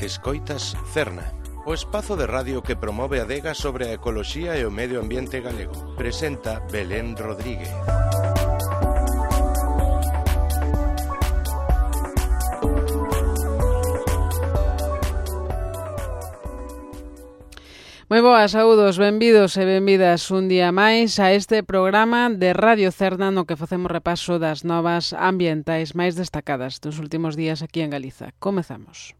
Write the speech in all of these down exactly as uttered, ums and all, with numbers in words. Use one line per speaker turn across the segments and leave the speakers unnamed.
Escoitas Cerna, o espazo de radio que promove a adega sobre a ecoloxía e o medio ambiente galego. Presenta Belén Rodríguez.
Moi boas, saúdos, benvidos e benvidas un día máis a este programa de Radio Cerna no que facemos repaso das novas ambientais máis destacadas dos últimos días aquí en Galiza. Comezamos.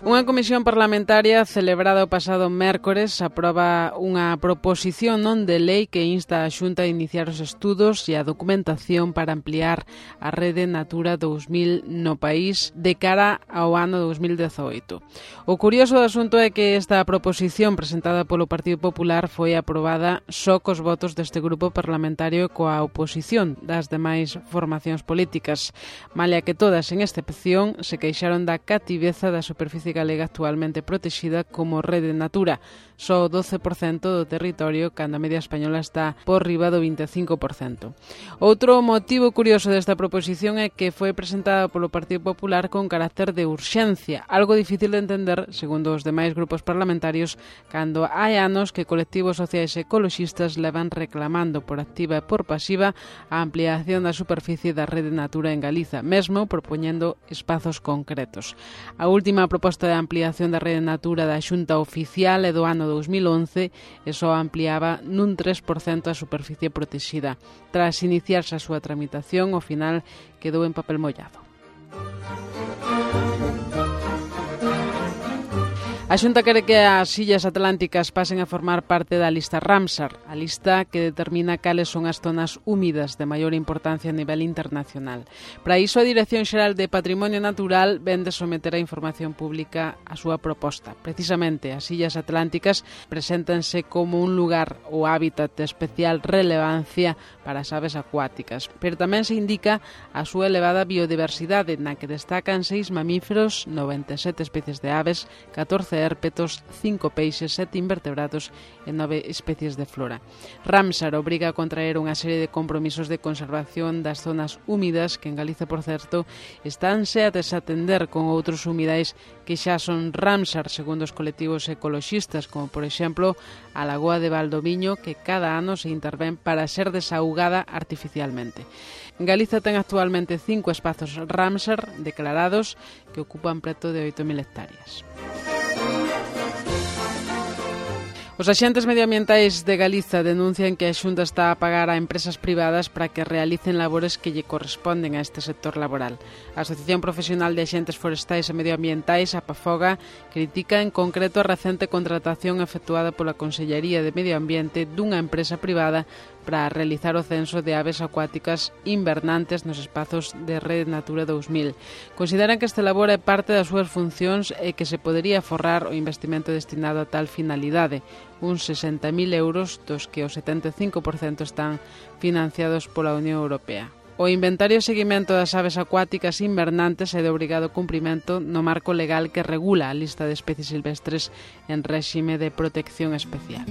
Unha comisión parlamentaria celebrada o pasado mércores aproba unha proposición non de lei que insta a Xunta a iniciar os estudos e a documentación para ampliar a rede Natura dous mil no país de cara ao ano dous mil dezaoito. O curioso do asunto é que esta proposición presentada polo Partido Popular foi aprobada só cos votos deste grupo parlamentario e coa oposición das demais formacións políticas, malia que todas, en excepción, se queixaron da cativeza da superficie galega actualmente protexida como rede Natura, só o doce por cento do territorio, cando a media española está por riba do vinte e cinco por cento. Outro motivo curioso desta proposición é que foi presentada polo Partido Popular con carácter de urxencia, algo difícil de entender, segundo os demais grupos parlamentarios, cando hai anos que colectivos sociais e ecoloxistas levan reclamando por activa e por pasiva a ampliación da superficie da rede Natura en Galiza, mesmo propoñendo espazos concretos. A última proposta de ampliación da rede Natura da Xunta Oficial e do ano dous mil once e só ampliaba nun tres por cento a superficie protexida. Tras iniciarse a súa tramitación, ao final quedou en papel mollado. A Xunta quere que as illas atlánticas pasen a formar parte da lista Ramsar, a lista que determina cales son as zonas húmidas de maior importancia a nivel internacional. Para iso, a Dirección Xeral de Patrimonio Natural ven de someter a información pública a súa proposta. Precisamente, as illas atlánticas preséntanse como un lugar ou hábitat de especial relevancia para as aves acuáticas, pero tamén se indica a súa elevada biodiversidade, na que destacan seis mamíferos, noventa e sete especies de aves, catorce hérpetos, cinco peixes, sete invertebrados e nove especies de flora. Ramsar obriga a contraer unha serie de compromisos de conservación das zonas húmidas que en Galiza, por certo, estánse a desatender con outros humidais que xa son Ramsar segundo os colectivos ecoloxistas, como por exemplo a Lagoa de Valdoviño, que cada ano se intervén para ser desaugada artificialmente. Galiza ten actualmente cinco espazos Ramsar declarados que ocupan preto de oito mil hectáreas. Os axentes medioambientais de Galiza denuncian que a Xunta está a pagar a empresas privadas para que realicen labores que lle corresponden a este sector laboral. A Asociación Profesional de Axentes Forestais e Medioambientais, a PAFOGA, critica en concreto a recente contratación efectuada pola Consellería de Medio Ambiente dunha empresa privada para realizar o censo de aves acuáticas invernantes nos espazos de Rede Natura dous mil. Consideran que este labor é parte das súas funcións e que se podería forrar o investimento destinado a tal finalidade, uns sesenta mil euros, dos que o setenta e cinco por cento están financiados pola Unión Europea. O inventario e seguimento das aves acuáticas invernantes é de obrigado cumprimento no marco legal que regula a lista de especies silvestres en réxime de protección especial.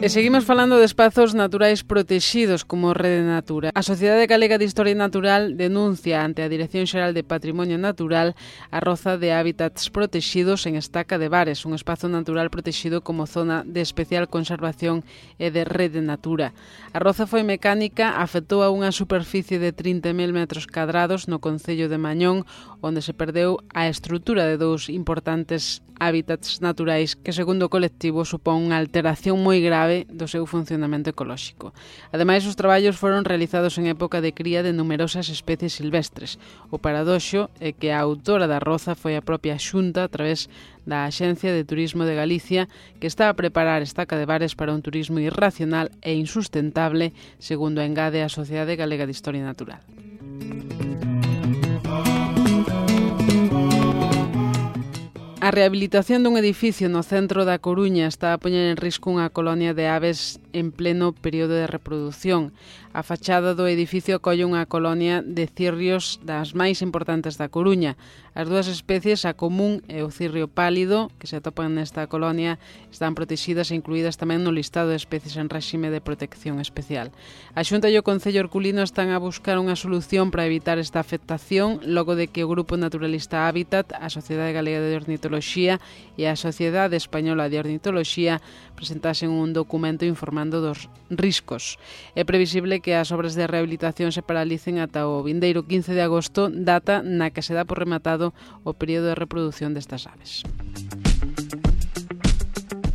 E seguimos falando de espazos naturais protexidos como Rede Natura. A Sociedade Galega de Historia Natural denuncia ante a Dirección Xeral de Patrimonio Natural a roza de hábitats protexidos en Estaca de Bares, un espazo natural protexido como zona de especial conservación e de Rede Natura. A roza foi mecánica, afectou a unha superficie de trinta mil metros cadrados no concello de Mañón, onde se perdeu a estrutura de dous importantes hábitats naturais que, segundo o colectivo, supón unha alteración moi grave do seu funcionamento ecolóxico. Ademais, os traballos foron realizados en época de cría de numerosas especies silvestres. O paradoxo é que a autora da roza foi a propia Xunta a través da Axencia de Turismo de Galicia, que está a preparar Estaca de Bares para un turismo irracional e insustentable, segundo engade a Sociedade Galega de Historia Natural. A rehabilitación dun edificio no centro da Coruña está a poñer en risco unha colonia de aves en pleno período de reproducción. A fachada do edificio acolle unha colonia de cirrios das máis importantes da Coruña. As dúas especies, a común e o cirrio pálido, que se atopan nesta colonia, están protegidas e incluídas tamén no listado de especies en réxime de protección especial. A Xunta e o Concello Herculino están a buscar unha solución para evitar esta afectación, logo de que o Grupo Naturalista Hábitat, a Sociedade Galega de Ornitoloxía e a Sociedade Española de Ornitoloxía presentasen un documento informando dos riscos. É previsible que as obras de rehabilitación se paralicen ata o vindeiro quince de agosto, data na que se dá por rematado o período de reproducción destas aves.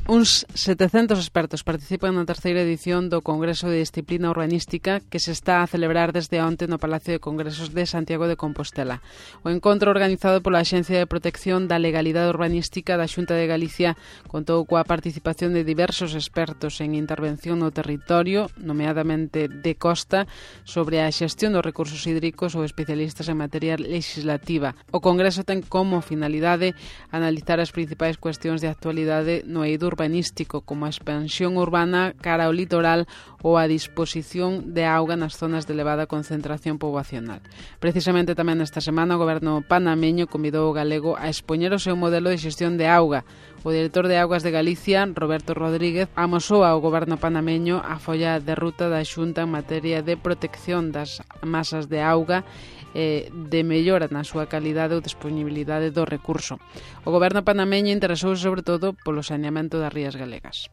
Uns setecentos expertos participan na terceira edición do Congreso de Disciplina Urbanística que se está a celebrar desde onte no Palacio de Congresos de Santiago de Compostela. O encontro organizado pola Axencia de Protección da Legalidade Urbanística da Xunta de Galicia contou coa participación de diversos expertos en intervención no territorio, nomeadamente de costa, sobre a xestión dos recursos hídricos ou especialistas en materia legislativa. O Congreso ten como finalidade analizar as principais cuestións de actualidade no eido urbanístico, como a expansión urbana cara ao litoral ou a disposición de auga nas zonas de elevada concentración poboacional. Precisamente tamén esta semana o goberno panameño convidou o galego a expoñer o seu modelo de xestión de auga. O director de Augas de Galicia, Roberto Rodríguez, amosou ao goberno panameño a folla de ruta da Xunta en materia de protección das masas de auga e de mellora na súa calidade ou disponibilidade do recurso. O goberno panameño interesouse sobre todo polo saneamento das rías galegas.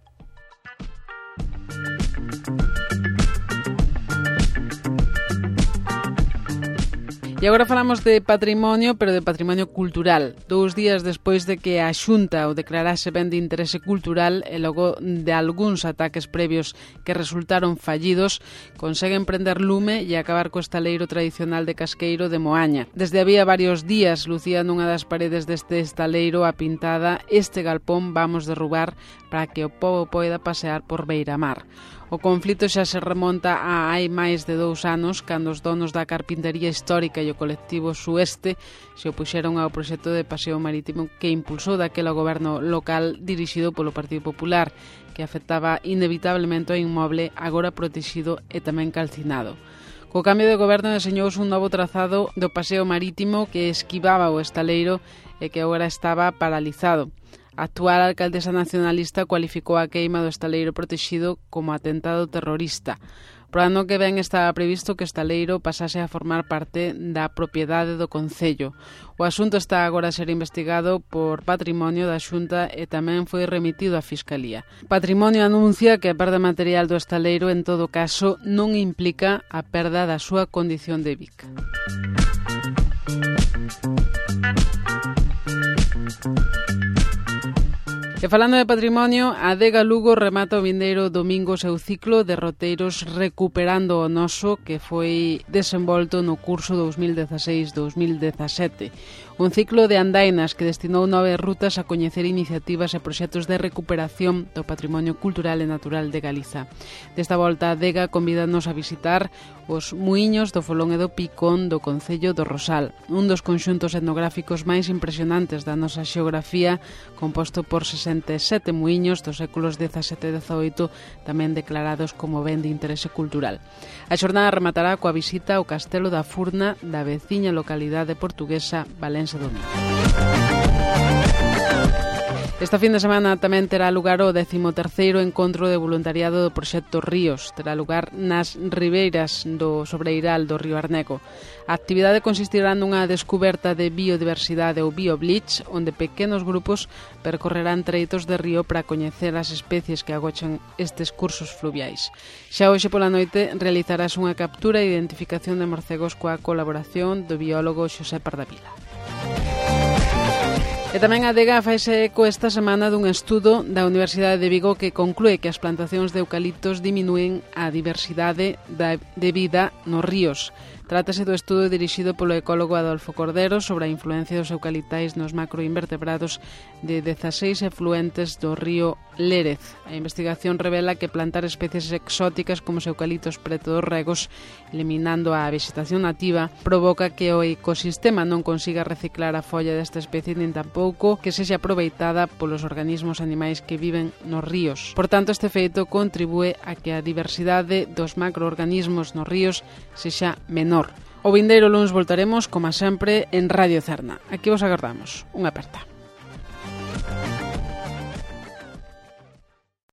E agora falamos de patrimonio, pero de patrimonio cultural. Dous días despois de que a Xunta o declarase ben de interese cultural e logo de algúns ataques previos que resultaron fallidos, conseguen prender lume e acabar co estaleiro tradicional de Casqueiro de Moaña. Desde había varios días lucía nunha das paredes deste estaleiro a pintada "Este galpón vamos derrubar para que o pobo poida pasear por Beiramar". O conflito xa se remonta a hai máis de dous anos, cando os donos da carpintería histórica e o colectivo Sueste se opuxeron ao proxecto de paseo marítimo que impulsou daquela goberno local dirixido polo Partido Popular, que afectaba inevitablemente ao inmoble agora protegido e tamén calcinado. Co cambio de goberno deseñouse un novo trazado do paseo marítimo que esquivaba o estaleiro e que agora estaba paralizado. A actual alcaldesa nacionalista cualificou a queima do estaleiro protegido como atentado terrorista. Pro ano que ven estaba previsto que o estaleiro pasase a formar parte da propiedade do Concello. O asunto está agora a ser investigado por Patrimonio da Xunta e tamén foi remitido á Fiscalía. Patrimonio anuncia que a perda material do estaleiro en todo caso non implica a perda da súa condición de Vic. E falando de patrimonio, a Adega Lugo remata o vindeiro domingo o seu ciclo de roteiros Recuperando o Noso, que foi desenvolto no curso dous mil dezaseis dous mil dezasete. Un ciclo de andainas que destinou nove rutas a coñecer iniciativas e proxectos de recuperación do patrimonio cultural e natural de Galiza. Desta volta, a Adega convídanos a visitar os muíños do Folón e do Picón do Concello do Rosal, un dos conxuntos etnográficos máis impresionantes da nosa xeografía, composto por sesenta e sete muíños dos séculos dezasete e dezaoito, tamén declarados como ben de interese cultural. A xornada rematará coa visita ao Castelo da Furna da veciña localidade portuguesa Valense do Miño. Esta fin de semana tamén terá lugar o décimo terceiro encontro de voluntariado do proxecto Ríos. Terá lugar nas ribeiras do Sobreiral do Río Arneco. A actividade consistirá nunha descuberta de biodiversidade ou biobleach, onde pequenos grupos percorrerán treitos de río para coñecer as especies que agochan estes cursos fluviais. Xa hoxe pola noite realizarás unha captura e identificación de morcegos coa colaboración do biólogo Xosé Pardavila. E tamén a Adega faise eco esta semana dun estudo da Universidade de Vigo que conclúe que as plantacións de eucaliptos diminúen a diversidade de vida nos ríos. Trátase do estudo dirixido polo ecólogo Adolfo Cordero sobre a influencia dos eucaliptais nos macroinvertebrados de dezaseis efluentes do río Lérez. A investigación revela que plantar especies exóticas como os eucaliptos preto dos regos, eliminando a vegetación nativa, provoca que o ecosistema non consiga reciclar a folla desta especie nin tampouco que sexa aproveitada polos organismos animais que viven nos ríos. Por tanto, este feito contribúe a que a diversidade dos macroorganismos nos ríos sexa menor. O vindeiro luns voltaremos, como sempre, en Radio Cerna. Aquí vos agardamos. Unha aperta.